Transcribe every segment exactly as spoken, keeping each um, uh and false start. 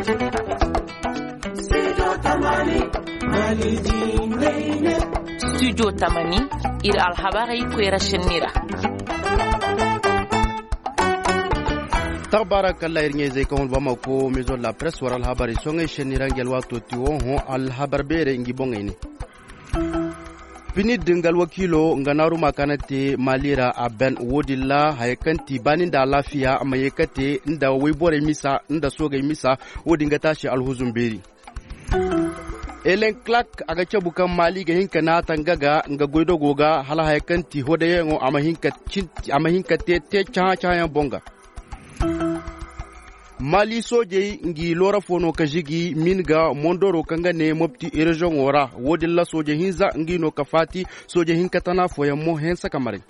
Studio tamani, ir alhabarey koyra šenni ra. Taxbaara kalla ir ɲayzey kaŋ wane bamako maison de la presse war alhabarey soŋey šenni ra ngi alwaato ti wo hõ alhabar beerey ngi boŋey ne. Pinid nga alwakiilo nga naaruma kaŋ a na te maali ra a ben wo-din ra haya kaŋ ti baani nda alaafiya ma ye ka te nda wayborey misa nda soogey misa. Wo-din ga taasi alhuzun beeri. Elen clark a ga cabu kaŋ maali ga hin ka naata nga ga nga goydogo ga hala haya kaŋ ti hodayaŋo a ma hin ka te te cahã-cahãyaŋ boŋ ga. Maali soojey ngi loora fo no ka žigi min ga mondoro kaŋ ga ne mopti reziyoŋo ra. Wo-din ra sooje hinza ngi no ka faati. Sooje hinka tana fooyaŋ mo hense ka maray.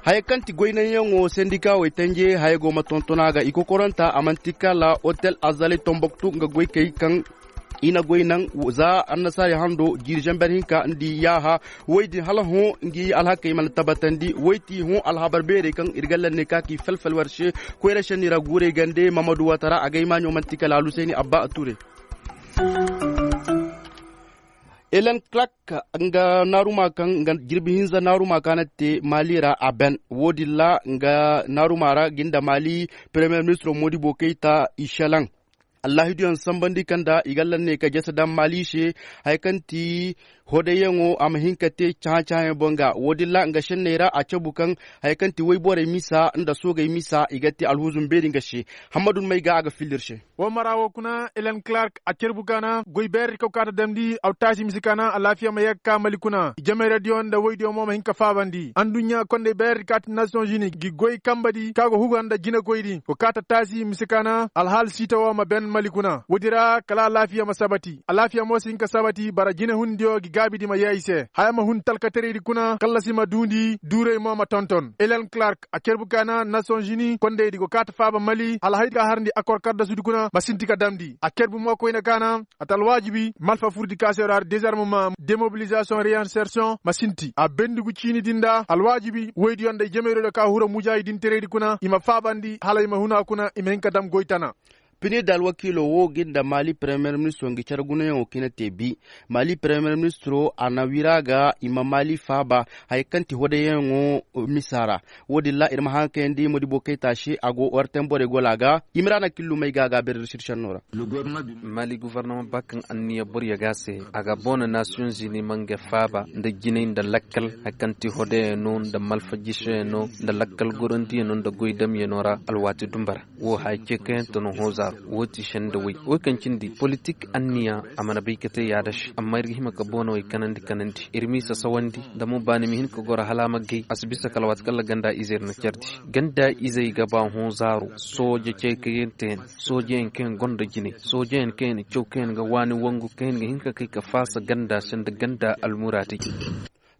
Haya kaŋ ti goynanyaŋo sendikawey tanje haya go ma tonton a ga i kokoranta a manti kala otel azali tomboktu nga goykey kaŋ i na goy naŋ za annasaari hando jiiri zamber hinka nda i yaaha. Woy din hala hõ ngi alhakey mana tabatandi woy ti hõ alhabar beerey kaŋ ir ga lanne ka ki felfel war se. Koyra senni ra guurey gande mamadu watara a ga ay maaɲo manti kala alusayni abba a ture. Elen clark nga naaruma kaŋ nga jirbi hinza naaruma kaŋ a na te maali ra a ben wo-din ra nga naaruma ra ga nda maali premier ministro modibo kayta i selaŋ. Allaahidiyaŋ sambandi kaŋ nda i ga lanne ka jese daŋ maali se haya kaŋ ti hodayyaŋo a ma hin ka te cahã-cahãyaŋ boŋ ga wo-din ra nga senney ra a cabu kaŋ haya kaŋ ti woyborey misa nda soogey misa i ga te alhuzun beeri nga se. Hammadu may ga a ga filli ir se. Wo mara wo kuna elen clark a carbu kaana goy beerdi kaw kaata damndi aw taasi mise kaana alaafiya ma yee ga ka mali kuna i jamayradiyo nda woydiyo mo ma hin ka faabandi anduɲɲa kondey beerdi kaati nations unis gi goy kambadi ka go huga nda jinekoydi go kaata taasi mise kaana alhaal siita wo ma ben mali kuna woodi ra kala alaafiya ma sabati alaafiya mo si hin ka sabati bara jinehundiyo gi gaabidi ma yee i se haya ma hun talkateraydi kuna kallasi ma duundi duurey mo ma tonton elen clark a carbu kaana nations unis kondeydi go kaata faaba mali hala hay ka harndi akor kaddasudi kuna ma sinti ka damndi a carbu mo koyne kaana a ta alwaajibi malfa furdi ka se ra dezarmement demobilisation reinsertion ma sinti a bendigu ciinidi nda alwaajibi woydiyo nda i jemeyrodiyo ka hura mujaahidintereydi kuna i ma faabandi hala i ma huna kuna i ma hin ka dam goy tana. Pinir da alwakiilo wo ga nda maali premier ministro ngi care gunayaŋo kaŋ i na te bi maali premier ministro a na wira ga i ma maali faaba haya kaŋ ti hodayaŋo misa ra. Wo-din ra ir ma haŋ ka kayandi modibo kayta se a go warten borey gola ga. Imrana killumey ga a ga a beeri ir sirsenno ra. Maali guvarnama ba kaŋ anniya borya ga a se a ga boona nasiyoŋ zini ma nga faaba nda jinay nda lakkal haya kaŋ ti hodayano nda malfajisoyano nda lakkal gorondiyano nda goydamyano ra alwaati dumba ra. Wo haya ceekayante no hõ zaaru wo ti senda way wo kaŋ cindi politik anniya a mana bay ka te yaada se amma ir ga hima ka boonawey kanandi kanandi ir m'i sasawandi nda mo baani ma hin ka goro hala a ma gay a si bisa kala waati kaŋ ra ganda izey ir na cardi. Ganda izey ga ba hõ zaaru sooje ceekayante yaŋ soojeyaŋ kaŋ yaŋ gonda jinay soojeyaŋ kaŋ yaŋ na caw kaŋ yaŋ ga waani wangu kaŋ yaŋ ga hin ka kay ka faasa ganda se nda ganda almuraadey.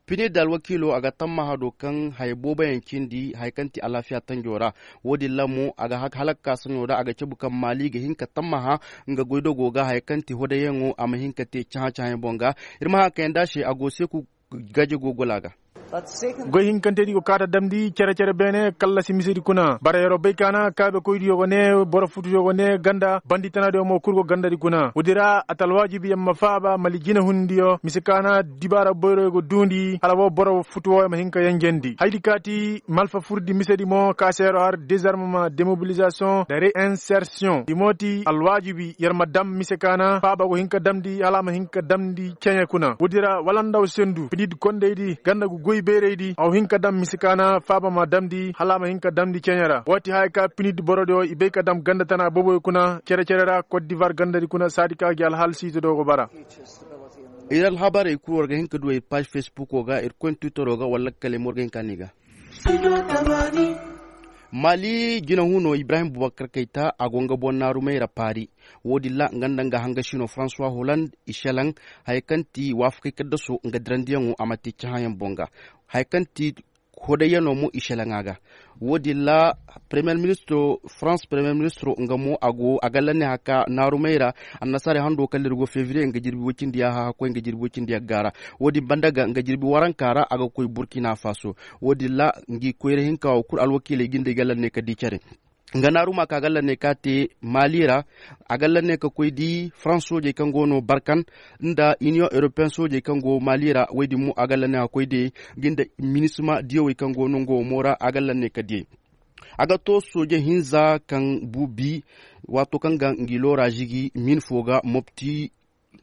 Pinir da alwakiilo a ga tammaha do kaŋ haya booboyaŋ cindi haya kaŋ ti alaafiya tanjo ra. Wo-din ra mo a ga halakka saɲo ra a ga cabu kaŋ maali ga hin ka tammaha nga goydogo ga haya kaŋ ti hodayaŋo a ma hin ka te cahã-cahãyaŋ boŋ ga. Ir ma haŋ ka kayandi a se a go seeku gaje go gola ga. Goy hinkantedi go kaata damndi cere-cere beene kallasi misedi kuna bara yeroo bay kaana kaabekoydiyo go ne boro futuyo go ne ganda bandi tanadiyo mo kul go gandadi kuna woodi ra a ta alwaajibi yer ma faaba mali jinehundiyo mise kaana dibaara boyroyo go duundi hala woo boro futu woo yer ma hin ka yenjendi hayadi kaati malfa furdi misedi mo ka se yeroo har dezarmement demobilisation nda reinsertion i mo ti alwaajibi yer ma dam mise kaana faaba go hin ka damndi hala a ma hin ka damndi ceɲe kuna woodi ra wala nda aw sendu fidid kondaydi ganda go goy beeraydi aw hin ka dam mise kaana faaba ma damndi hala a ma hin ka damndi ceɲe ra woo ti haya ka pinid borodiyo i bay ka dam ganda tana booboyo kuna cere-cere ra kot divar gandadi kuna saadi ka gi alhaal siitadiyo go bara. Ir alhabarey kul war ga hin ka du ir paaž fesbuko ga ir koy twitero ga wala kale mo war ga hin ka ni ga. Maali jinahuno ibrahim bubakar kayta a go nga boŋ naarumey ra paari. Wo-din ra nga nda nga hangasino francois holand i selaŋ haya kaŋ ti waafakey kaddaso nga dirandiyaŋo a ma te cahãyaŋ boŋ ga haya kaŋ ti hodayyanoo mo i selaŋa ga. Wo-din ra premier ministro france premier ministro nga mo a go a ga lanne haka naarumey ra. Annasaarey hando kala ir go fevriye nga jirbi woy cindi yaaha hakkoy nga jirbi woy cindi yagga ra. Wo-din banda ga nga jirbi waranka ra a ga koy burkina faso. Wo-din ra ngi koyra hinka wo kul alwakiiley ga nda ay ga lanne ka di care. Nga naaruma ka galla ne ka te mali ra. A galla ne ka koy di farans soojey kaŋ go no barkan nda iniyoŋ europeyen soojey kaŋ go mali ra woy din mo a galla ne ka koy di. Nga nda minisima diyawey kaŋ go no nga wo mo ra a galla ne ka di. A ga to sooje hinza kaŋ bu bi waato kaŋ ga ngi loora zigi min fo ga mopti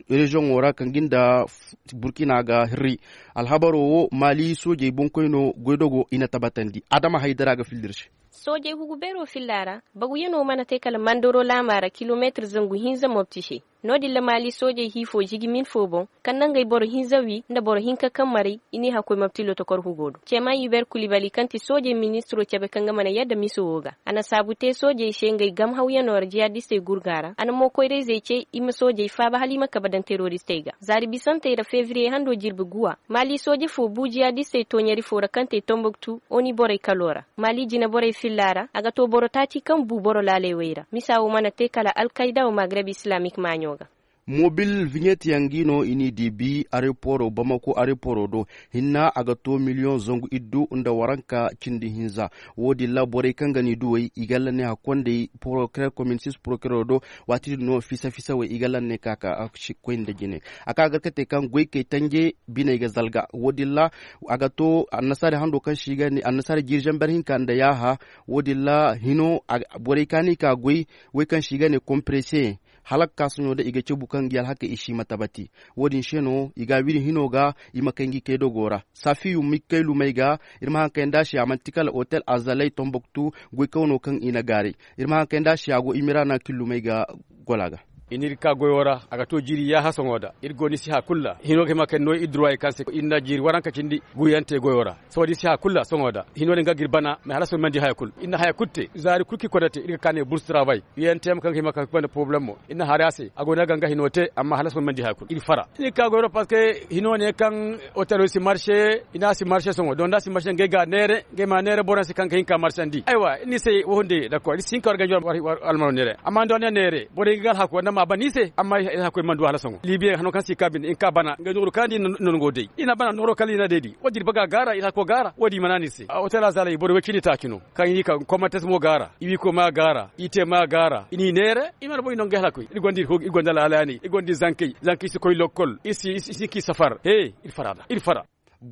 reziyoŋo ra kaŋ ga nda burkina ga hirri. Alhabaro wo mali soojey boŋkoyno goydogo i na tabatandi adama haydara ga filla ir se. Soojey hugu beero filla ra baguyanoo mana te kala mandoro laama ra kilomeetir zangu hinza mopti se. No-din ra maali soojey hiifoo zigi min foo boŋ kaŋ na ngey boro hinza wii nda boro hinka kaŋ maray i n'i hakkoy mopti lotokor hugoo do ceeman yuber kulibali kaŋ ti soojey ministiroo cebe kaŋ ga mana yadda miso woo ga a na saabu te soojey se ngey gamhawyanoo ra jihadistey gurgaa ra a na mo koyrayzey cey i ma soojey faaba hala i ma kabe daŋ teroristey ga zaari bisantey ra febriye handoo jirbi guwa maali sooje foo bu jihadistey tooɲari foo ra kaŋ te tombuktu oni borey kaloo ra. Maali jineborey fillaa ra a ga too boro taaci kaŋ buu boro laaley wey ra misa woo mana te kala alkayda woo magreb islamik maaɲo ga. Mobil viɲetiyaŋ gi no i n'i diibi areporo bamako areporo do. Hinna a ga too miliyoŋ zangu iddu nda waranka cindi hinza. Woo din ra borey kaŋ ga n'i duwey i ga lanney hakkondey porokirer komin sis porokirer do. Waati din no fisa fisa wey i ga lanney ka ka koy nda jine. A ka gar ka te kaŋ goykey tanje biney ga zalga woo din ra a ga to annasaari hando kaŋ se i ga ne annasaari jiiri zamber hinka nda yaaha. Woo din ra hino borey ka no i ka goy wey kaŋ se i ga ne komprese. Hala ga ka soɲo da i ga cabu kaŋ ngi alhakey i si ma tabati. Woo din se no i ga a wiri hino ga i ma kay ngi kay dogo ra. Safiyu mikkay lumey ga ir ma haŋ kay nda a se a man'ti kala otel azaley tomboktu. Goykawno kaŋ i na gaaray ir ma haŋ kay nda a se a go imirana killumey ga gola ga. I n'iri ka goyo ra a ga to jiiri yaaha sohõ da ir go ni si haya kul ra hino ga hima kay no ir duruwaayey kaŋ se ir na jiiri waranka cindi. Guyante goyo ra sohõ da ir si haya kul ra sohõ da hino din ga ga ir bana mais hala sohõ ir mana di haya kul ir na haya kul te zaari kul kaŋ ir koy nda te ir ga ka ne burs travay. Iyante ma kaŋ ga hima kaŋ ga banda poroblem mo ir na hari a se a go no ga nga hino te amma hala sohõ ir mana di haya kul ir fara. Ir ka goyo ra parceque hino ne kaŋ otelo si marse i na a si marse sohõ don da a si marse ngey ga a neere ngey ma a neere boroyaŋ se kaŋ ga hin ka marsandi aywa ir ni se wo hunde dakor ir si hin ka war ganjo war almaro neere amma nda war ne neere borey ga alhako war na ma a ban ir se amma ir hako ir mana du hala sohõ libiye hano kaŋ si ka bine ir ka bana ngey nooru kaŋ di nono go day ir na bana nooro kala ir na day di wo- din ir baga gaara ir hako gaara wo- din i mana no ir se. Otela zalay boro way cindi taaci no kaŋ ir ka komantes mo gaara ir wiiko ma gaara ir te ma gaara ir n'i neere ir mana boy no ngey hala koy ir gonda ir hoogi ir gonda laalaani ir gonda ir zankey zankey si koy lokkol ir si ir si k'i safar he ir fara da ir fara.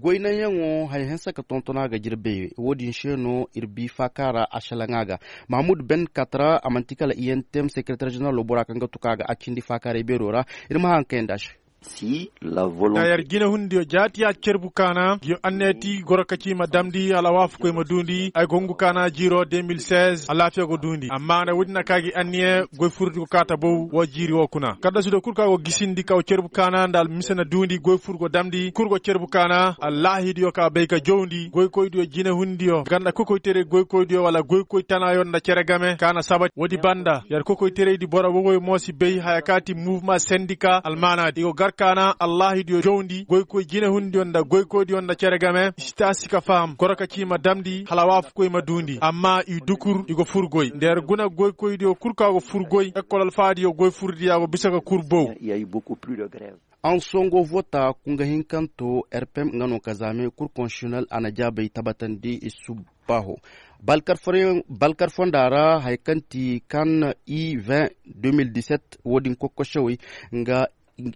Goynaŋyaŋo haya hanse ka tonton a ga jirbey wo- din se no ir bi faaka ra a salaŋ a ga. Mahamud ben katra a man'ti kala iyentem sekereter jeneral bora kaŋ ga tuka a ga a cindi faakaaray beero ra. Ir ma haŋ kayandi a se. Da yar jinehundiyo jaati ya cerbu kaana ngiyo anneeti goro ka ci ma damndi hala waafakoy ma duundi ay go hungu kaana jiiro deux mille seize alaafiya go duundi amma nda woodin na ka gi anniye goy furdi go kaata bow woo jiiri woo kuna kaddasidiyo kul ka go gisindi ka woo cerbu kaana nda almise na duundi goy fur go damndi kul go cerbu kaana allaahidiyo ka bay ka jowndi goykoydiyo jinehundiyo ganda kokoytaray goykoydiyo wala goykoy tanaayo nda cere game ka na saba woodi banda yar kokoytaraydi boro wowoyo mo si bay haya ka ti muvma sendika almaanaadi i go gar ka na allaahidiyo jowndi goykoy jinehundiyo nda goykoydiyo nda cere game i si taasi ka faham goro ka ci ma damndi hala waafakoy ma duundi amma i dukur i go fur goy nda yar guna goykoydiyo kul ka go fur goy ekkol alfaadiyo goy furdiya go bisa ka kur bow. Ansongo vota kunga hinkanto rpm nga no ka zaame kur konsitinel a na jaabay tabatandi i subbaho balkar fonda ra haya kaŋ ti kan i vingt deux mille dix-sept wo- din kokkosewey nga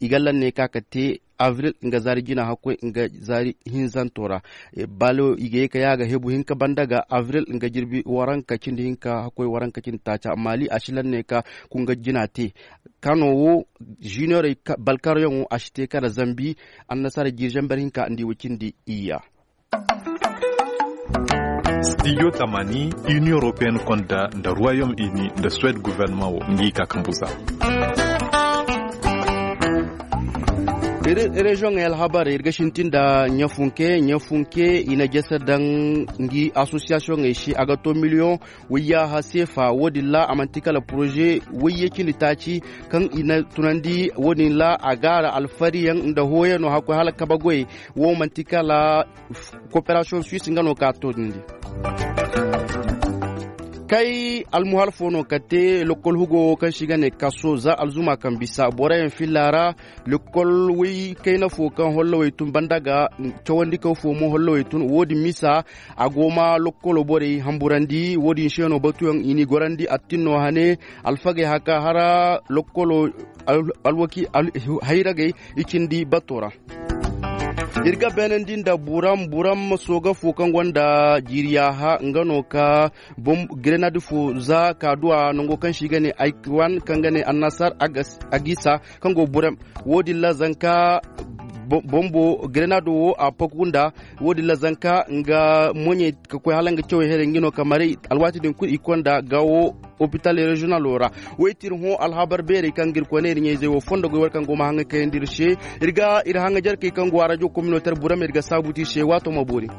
i ga lanney ka ka te avril nga zaari jina hakkoy nga zaari hinzanto ra. Balo i ga ye ka ya ga hebu hinka banda ga avril nga jirbi waranka cindi hinka hakkoy waranka cindi taaca maali a si lanney ka kunga jina te. Kano wo juniyorey balkaryaŋo a si te kala zambi annasara jiiri zamber hinka nda i wo cindi iyya. Stijo tamani, inion europeyenne konda nda ruwayom ini nda suwed guvernaman wo ngi ka kambuza. Reziyoŋey alhabarey ir ga sintin nda ɲafunke ɲafunke i na jese daŋ ngi asosiyasiyoŋey se a ga to miliyoŋ. Wayyaha seefa wo- din ra a man'ti kala poroze wayye cindi taaci kaŋ i na tunandi wo- din ra a gaara alfariyaŋ nda hooyano hakkoy hala kabe goyey. Wo man'ti kala koperasiyoŋ suwis nga no ka a toonandi. Tay almuhal fo no ka te lokkol hugo wo kaŋ se i ga ne kaso za alzuma kaŋ bisa boroyaŋ filla ra. Lokkol way kayna fo kaŋ hollowey tun banda ga cawandikaw fo mo hollowey tun wo- din misa. A go ma lokkolo borey hamburandi wo- din se no batuyaŋ i n'i gorandi attin no hane. Alfagey haka hara lokkolo hayragey i cindi bato ra. Ir ga beenandi nda buram buram sooga fo kaŋ gonda jiiriya ha nga no ka grenade fo za ka duwa nango kaŋ se i ga ne aykiwan kaŋ ga ne annasar. Agisa kaŋ go buram wo- din ra zanka bombo grenade wo a paku nda wo- din ra zanka nga moɲey ka koy hala nga cawey here nga no ka maray alwaati din kulu i konda gawo. Opital reziyonalo ra woy ti ir hõ alhabar beerey kaŋ ga ir koy ne ir ɲayzey wo fondo goy war kaŋ go ma haŋa kayandi ir se. Ir ga ir haŋa jarkey kaŋ go a rajo kominotar burama ir ga saabu ti ir se waato ma boori.